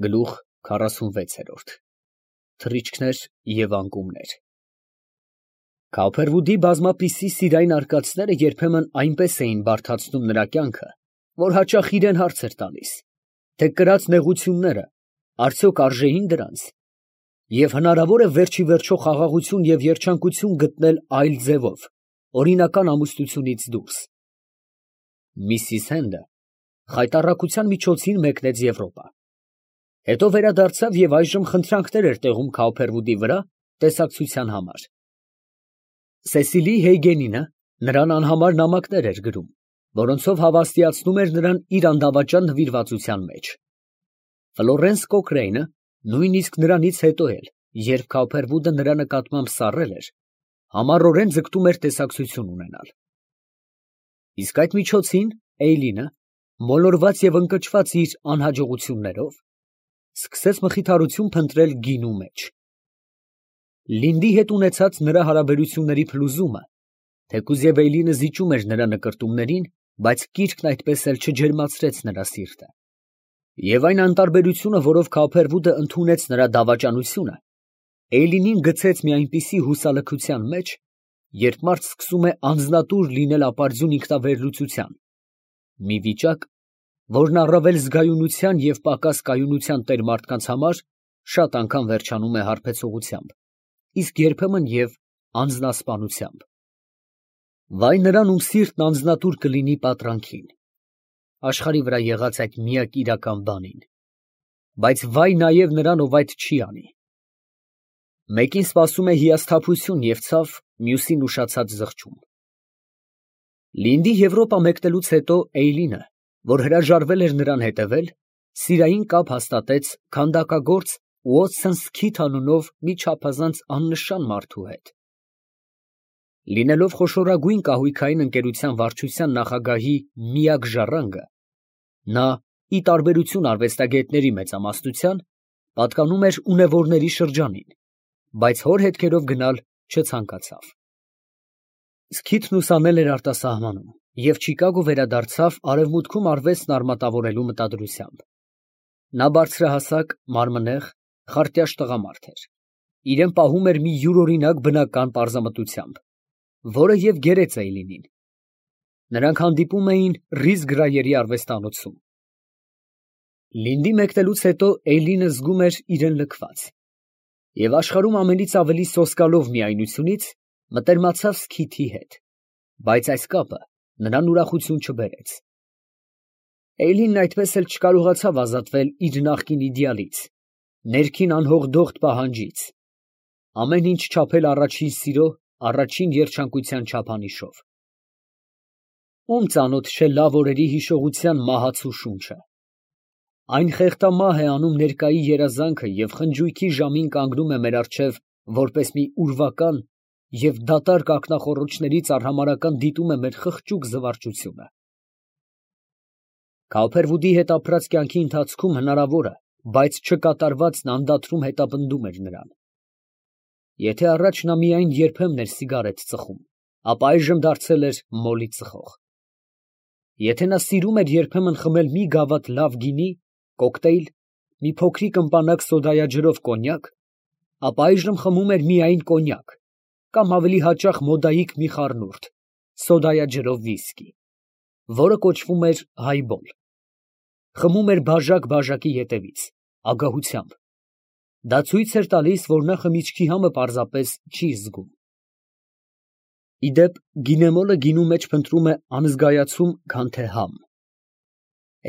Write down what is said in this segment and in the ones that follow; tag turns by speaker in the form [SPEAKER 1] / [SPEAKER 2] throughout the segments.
[SPEAKER 1] Գլուխ 46 Թռիչքներ և անկումներ։ Քավփերվուդի բազմապիսի սիրային արկածները երբեմն այնպես էին բարդացնում նրա կյանքը, որ հաճախ իրան հարց էր տալիս, թե կրած նեղությունները արդյոք արժեի՞ն դրանց, և հնարավոր է վերջ ի վերջո խաղաղություն և երջանկություն գտնել այլ ձևով, օրինական ամուսնությունից դուրս։ Միսիս Հենդը խայտառակության միջոցին մեկնեց Եվրոպա, հետո վերադարձավ և այժմ խնդրանքներ էր տեղում Քավփերվուդի վրա տեսակցության համար։ Սեսիլի Հեյգենինը նրան անհամար նամակներ էր գրում, որոնցով հավաստիացնում էր նրան իր անդավաճան նվիրվածության մեջ։ Ֆլորենս Կոքրեյնը նույնիսկ նրանից հետո էլ, երբ Քավփերվուդը նրա նկատմամբ սառել էր, համառորեն ձգտում էր տեսակցություն ունենալ։ Իսկ այդ միջոցին Էյլինը, մոլորված և ընկճված իր անհաջողություններով, սկսեց մխիթարություն փնտրել գինու մեջ։ Լինդի հետ ունեցած նրա հարաբերությունների փլուզումը, թեկուզ և Էյլինը զիջում էր նրա նկրտումներին, բայց կիրքն այդպես էլ չջերմացրեց նրա սիրտը։ Եվ այն անտարբերությունը, որով Քավփերվուդը ընդունեց նրա դավաճանությունը, Էյլինին գցեց մի այնպիսի հուսալքության մեջ, երբ մարդ սկսում է անձնատուր լինել ապարդյուն ինքնավերլուծության, մի վիճակ, որն առավել զգայունության և պակաս կայունության տեր մարդկանց համար շատ անգամ վերջանում է հարբեցողությամբ, իսկ երբեմն և անձնասպանությամբ։ Վայ նրան, ում սիրտն անձնատուր կլինի պատրանքին, աշխարհի վրա եղած այդ միակ իրական բանին, բայց վայ նաև նրան, ով այդ չի անի։ Մեկին սպասում է հիասթափություն և ցավ, մյուսին ուշացած զղջում։ Լինդի Եվրոպա մեկնելուց հետո Էյլինը, որ հրաժարվել էր նրան հետևել, սիրային կապ հաստատեց քանդակագործ Ուոթսոն Սքիթ անունով մի չափազանց աննշան մարդու հետ։ Լինելով խոշորագույն կահույքային ընկերության վարչության նախագահի միակ ժառանգը, նա, ի տարբերություն արվեստագետների մեծամասնության, պատկանում էր ունևորների շրջանին, բայց հոր հետքերով գնալ չցանկացավ։ Սքիթն ուսանել էր արտասահմանում և Չիկագո վերադարձավ արևմուտքում արվեստն արմատավորելու մտադրությամբ։ Նա բարձրահասակ, մարմնեղ, խարտյաշ տղամարդ էր, իրան պահում էր մի յուրօրինակ բնական պարզամտությամբ, որը և գերեց Էյլինին։ Նրանք հանդիպում էին Ռիզ Գրայերի արվեստանոցում։ Լինդի մեկնելուց հետո Էյլինը զգում էր իրան լքված և աշխարհում ամենից ավելի սոսկալով միայնությունից մտերմացավ Սքիթի հետ, բայց այս կապը նրան ուրախություն չբերեց։ Էյլինն այդպես էլ չկարողացավ ազատվել իր նախկին իդեալից, ներքին անհողդողդ պահանջից, ամեն ինչ չափել առաջին սիրո, առաջին երջանկության չափանիշով։ Ում ծանոթ չէ լավ օրերի հիշողության մահացու շունչը։ Այն խեղդամահ է անում ներկայի երազանքը և խնջույքի ժամին կանգնում է մեր առջև որպես մի ուրվական և դատարկ ակնախոռոչներից արհամարհական դիտում է մեր խղճուկ զվարճությունը։ Քավփերվուդի հետ ապրած կյանքի ընթացքում հնարավորը, բայց չկատարվածն անդադրում հետապնդում էր նրան։ Եթե առաջ նա միայն երբեմն էր սիգարետ ծխում, ապա այժմ դարձել էր մոլի ծխող։ Եթե նա սիրում էր երբեմն խմել մի գավաթ լավ գինի, կոկտեյլ, մի փոքրիկ ըմպանակ սոդայաջրով կոնյակ, ապա այժմ խմում էր միայն կոնյակ, կամ ավելի հաճախ մոդայիկ մի խառնուրդ, սոդայաջրով վիսկի, որը կոչվում էր հայբոլ։ Խմում էր բաժակ֊բաժակի ետևից, ագահությամբ։ Դա ցույց էր տալիս, որ նա խմիչքի համը պարզապես չի զգում։ Ի դեպ, գինեմոլը գինու մեջ փնտրում է անզգայացում, քան թե համ։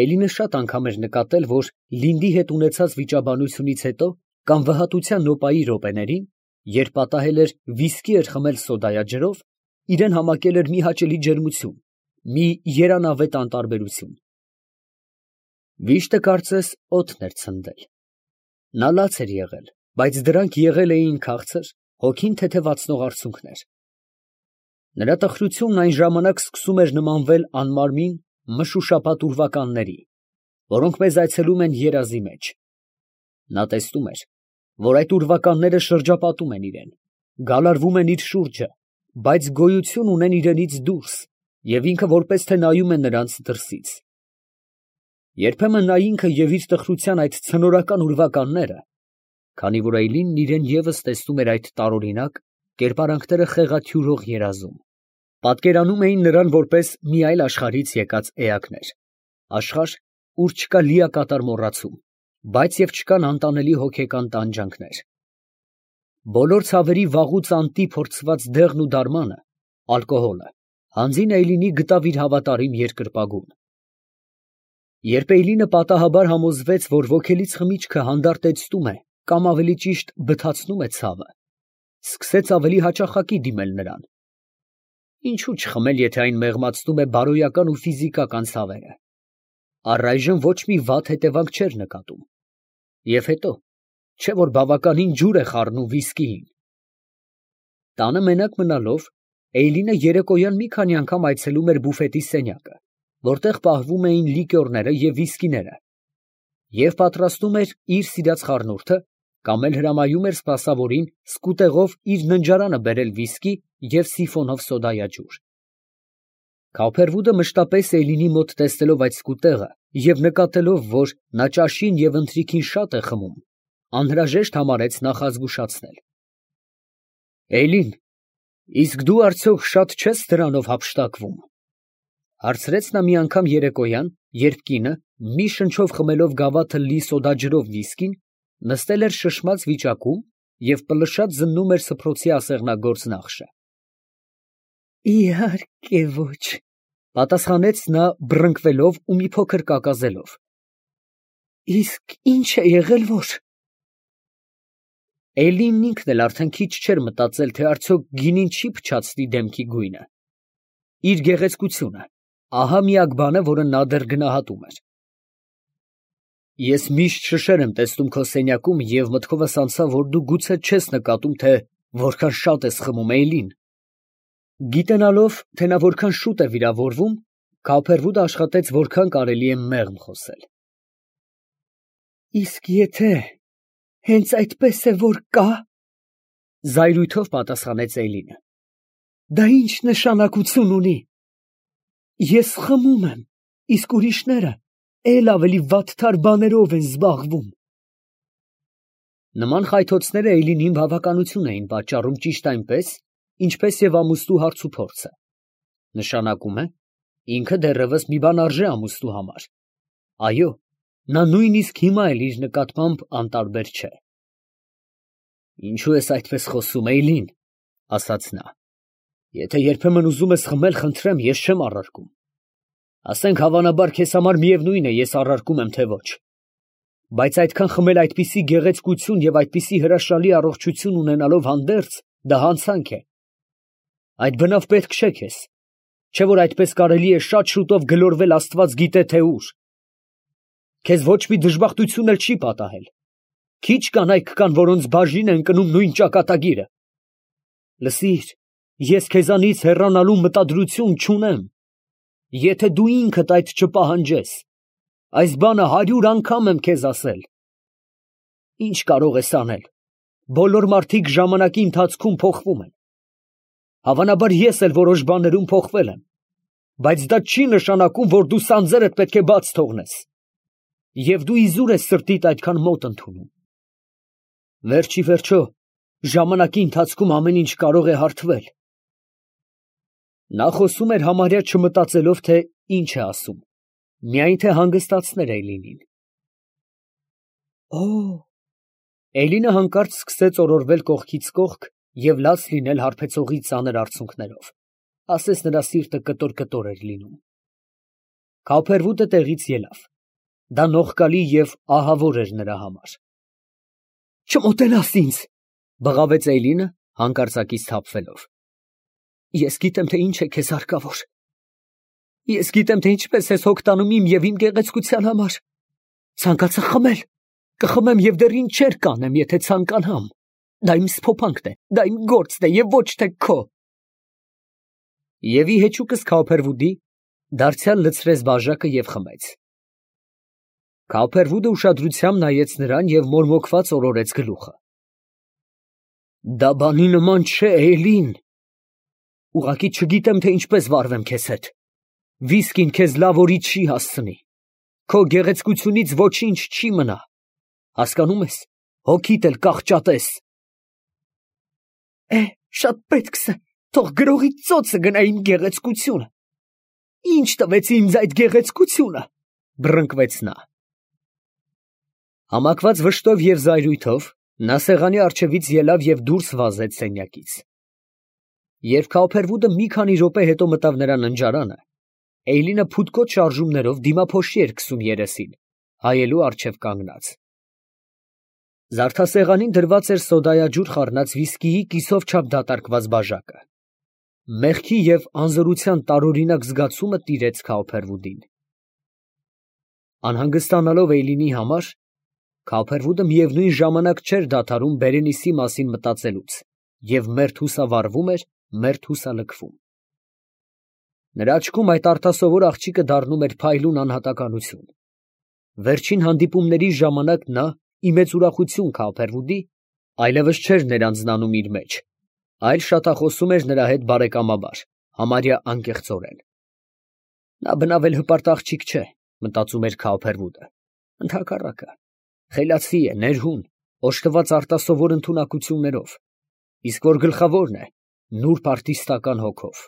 [SPEAKER 1] Էյլինը շատ անգամ էր նկատել, որ Լինդի հետ ունեցած վիճաբանությունից հետո կամ վհատության նոպայի րոպեներին, երբ պատահել էր վիսկի էր խմել սոդայաջրով, իրան համակել էր մի հաճելի ջերմություն, մի երանավետ անտարբերություն։ Վիշտը կարծես օդն էր ցնդել։ Նա լաց էր եղել, բայց դրանք եղել էին քաղցր, հոգին թեթևացնող արցունքներ։ Նրա տխրությունն այն ժամանակ սկսում էր նմանվել անմարմին, մշուշապատ ուրվականների, որոնք մեզ այցելում են երազի մեջ։ Նա տեսնում էր, որ այդ ուրվականները շրջապատում են իրան, գալարվում են իր շուրջը, բայց գոյություն ունեն իրենից դուրս և ինքը որպես թե նայում է նրանց դրսից։ Երբեմն նա ինքը և իր տխրության այդ ցնորական ուրվականները, քանի որ Էյլինն իրեն ևս տեսնում էր այդ տարօրինակ կերպարանքները խեղաթյուրող երազում, պատկերանում էին նրան որպես մի այլ աշխարհից եկած էակներ, աշխարհ, ուր չկա լիակատար մոռացում, բայց և չկան անտանելի հոգեկան տանջանքներ։ Բոլոր ցավերի վաղուց անտի փորձված դեղն ու դարմանը, ալկոհոլը, հանձին Էյլինի գտավ իր հավատարիմ երկրպագուն։ Երբ Էյլինը պատահաբար համոզվեց, որ ոգելից խմիչքը հանդարտեցնում է կամ ավելի ճիշտ բթացնում է ցավը, սկսեց ավելի հաճախակի դիմել նրան։ Ինչու չխմել, եթե այն մեղմացնում է բարոյական ու ֆիզիկական ցավերը։ Առայժմ ոչ մի վատ հետևանք չէր նկատում։ Եվ հետո, չէ որ բավականին ջուր է խառնում վիսկիին։ Տանը մենակ մնալով, Էյլինը երեկոյան մի քանի անգամ այցելում էր բուֆետի սենյակը, որտեղ պահվում էին լիկյորները և վիսկիները, և պատրաստում էր իր սիրած խառնուրդը, կամ էլ հրամայում էր սպասավորին սկուտեղով իր ննջարանը բերել վիսկի և սիֆոնով սոդայաջուր։ Քավփերվուդը մշտապես Էյլինի մոտ տեսնելով այդ սկուտեղը և նկատելով, որ նա ճաշին և ընթրիքին շատ է խմում, անհրաժեշտ համարեց նախազգուշացնել։ «Էյլին, իսկ դու արդյոք շատ չես դրանով հափշտակվում», ֊ հարցրեց նա մի անգամ երեկոյան, երբ կինը, մի շնչով խմելով գավաթը լի սոդաջրով վիսկին, նստել էր շշմած վիճակում և պլշած զննում էր սփռոցի ասեղնագործ նախշը։ «Իհարկե ոչ», ֊ պատասխանեց նա բռնկվելով ու մի փոքր կակազելով։ «Իսկ ի՞նչ է եղել, որ…» Էյլինն ինքն էլ արդեն քիչ չէր մտածել, թե արդյոք գինին չի փչացնի դեմքի գույնը։ Իր գեղեցկությունը, ահա միակ բանը, որը նա դեռ գնահատում էր։ Ես միշտ շշեր եմ տեսնում քո սենյակում և մտքովս անցավ, որ դու գուցե չես նկատում, թե որքան շատ ես խմում, Էյլին։ Գիտենալով, թե նա որքան շուտ է վիրավորվում, Քավփերվուդը աշխատեց որքան կարելի է մեղմ խոսել։ Իսկ եթե հենց այդպես է, որ կա, ֊ զայրույթով պատասխանեց Էյլինը, ֊ դա ի՞նչ նշանակություն ունի։ Ես խմում եմ, իսկ ուրիշները էլ ավելի վատթար բաներով են զբաղվում։ Նման խայթոցները Էյլինին բավականություն էին պատճառում ճիշտ այնպես, ինչպես և ամուսնու հարցուփորձը։ Նշանակում է, ինքը դեռևս մի բան արժե ամուսնու համար։ Այո, նա նույնիսկ հիմա էլ իր նկատմամբ անտարբեր չէ։ Ինչո՞ւ ես այդպես խոսում, Էյլին, ֊ ասաց նա։ Եթե երբեմն ուզում ես խմել, խնդրեմ, ես չեմ առարկում։ Ասենք հավանաբար քեզ համար միևնույն է, ես առարկում եմ, թե ոչ։ Բայց այդքան խմել այդպիսի գեղեցկություն և այդպիսի հրաշալի առողջություն ունենալով հանդերձ, դա հանցանք է։ Այդ բնավ պետք չէ քեզ, չէ որ այդպես կարելի է շատ շուտով գլորվել աստված գիտե թե ուր։ Քեզ ոչ մի դժբախտություն էլ չի պատահել։ Քիչ կանայք կան, որոնց բաժին է ընկնում նույն ճակատագիրը։ Լսիր, ես քեզանից հեռանալու մտադրություն չունեմ։ Եթե դու ինքդ այդ չպահանջես, այս բանը 100 անգամ եմ քեզ ասել։ Ինչ կարող ես անել։ Բոլոր մարդիկ ժամանակի ընթացքում փոխվում են։ Հավանաբար ես էլ որոշ բաներում փոխվել եմ, բայց դա չի նշանակում, որ դու սանձերդ պետք է բաց թողնես։ Եվ դու իզուր ես սրտիդ այդքան մոտ ընդունում։ Վերջ ի վերջո, ժամանակի ընթացքում ամեն ինչ կարող է հարթվել։ Նա խոսում էր համարյա չմտածելով, թե ինչ է ասում, միայն թե հանգստացներ Էյլինին։ Օ՜։ Էյլինը հանկարծ սկսեց օրորվել կողքից կողք և լաց լինել հարբեցողի ծանր արցունքներով, ասես նրա սիրտը կտոր էր լինում։ Քավփերվուդը տեղից ելավ։ Դա նողկալի և ահավոր էր նրա համար։ Չմոտենաս ինձ, ֊ բղավեց Էյլինը, հանկարծակից թափվելով։ Ես գիտեմ, թե ինչ է քեզ հարկավոր։ Ես գիտեմ, թե ինչպես ես հոգ տանում իմ և իմ գեղեցկության համար։ Ցանկացա խմել, կխմեմ և դեռ ինչեր կանեմ, եթե ցանկանամ։ Դա իմ սփոփանքն է, դա իմ գործն է և ոչ թե քո։ Եվ ի հեճուկս Քավփերվուդի դարձյալ լցրեց բաժակը և խմեց։ Քավփերվուդը ուշադրությամբ նայեց նրան և մորմոքված օրորեց գլուխը։ Դա բանի նման չէ, Էյլին։ Ուղղակի չգիտեմ, թե ինչպես վարվեմ քեզ հետ։ Վիսկին քեզ լավ օրի չի հասցնի։ քո գեղեցկությունից ոչինչ չի մնա, հասկանում ես, հոգիդ էլ կախճատես։ Շատ պետքս է, թող գրողի ծոցը գնա իմ գեղեցկությունը։ Ինչ տվեց ինձ այդ գեղեցկությունը, բռնկվեց նա։ Համակված վշտով և զայրույթով նա սեղանի առջևից ելավ և դուրս վազեց սենյակից։ Երբ Քաուփերվուդը մի քանի րոպե հետո մտավ նրա ննջարանը, Էյլինը փութկոտ շարժումներով դիմափոշի էր քսում երեսին, հայելու առջև կանգնած։ Զարդասեղանին դրված էր սոդայաջուր խառնած վիսկիի կիսով չափ դատարկված բաժակը։ Մեղքի և անզորության տարօրինակ զգացումը տիրեց Քաուփերվուդին։ Անհանգստանալով Էյլինի համար, Քաուփերվուդը միևնույն ժամանակ չէր դադարում Բերենիսի մասին մտածելուց և մերթ հուսավառվում էր, մերթ հուսալքվում։ Նրա աչքում այդ արտասովոր աղջիկը դառնում էր փայլուն անհատականություն։ Վերջին հանդիպումների ժամանակ նա, ի մեծ ուրախություն Քաուփերվուդի, այլևս չէր ներանձնանում իր մեջ, այլ շատախոսում էր նրա հետ բարեկամաբար, համարյա անկեղծորեն։ Նա բնավ էլ հպարտ աղջիկ չէ, մտածում էր Քաուփերվուդը, ընդհակառակը, խելացի է, ներհուն, օժտված արտասովոր ընդունակություններով, իսկ որ գլխավորն է, նուրբ արտիստական հոգով։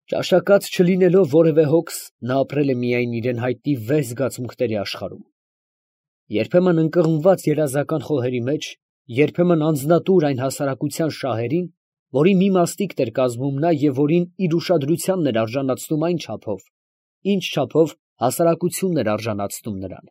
[SPEAKER 1] Ճաշակած չլինելով որևէ հոգս, նա ապրել է միայն իրան հայտնի վեհ զգացմունքների աշխարհում։ Երբեմն ընկղմված երազական խոհերի մեջ, երբեմն անձնատուր այն հասարակության շահերին, որի մի մասնիկն էր կազմում նա և որին իր ուշադրությանն էր արժանացնում այն չափով, ինչ չափով հասարակությունն էր արժանացնում նրան։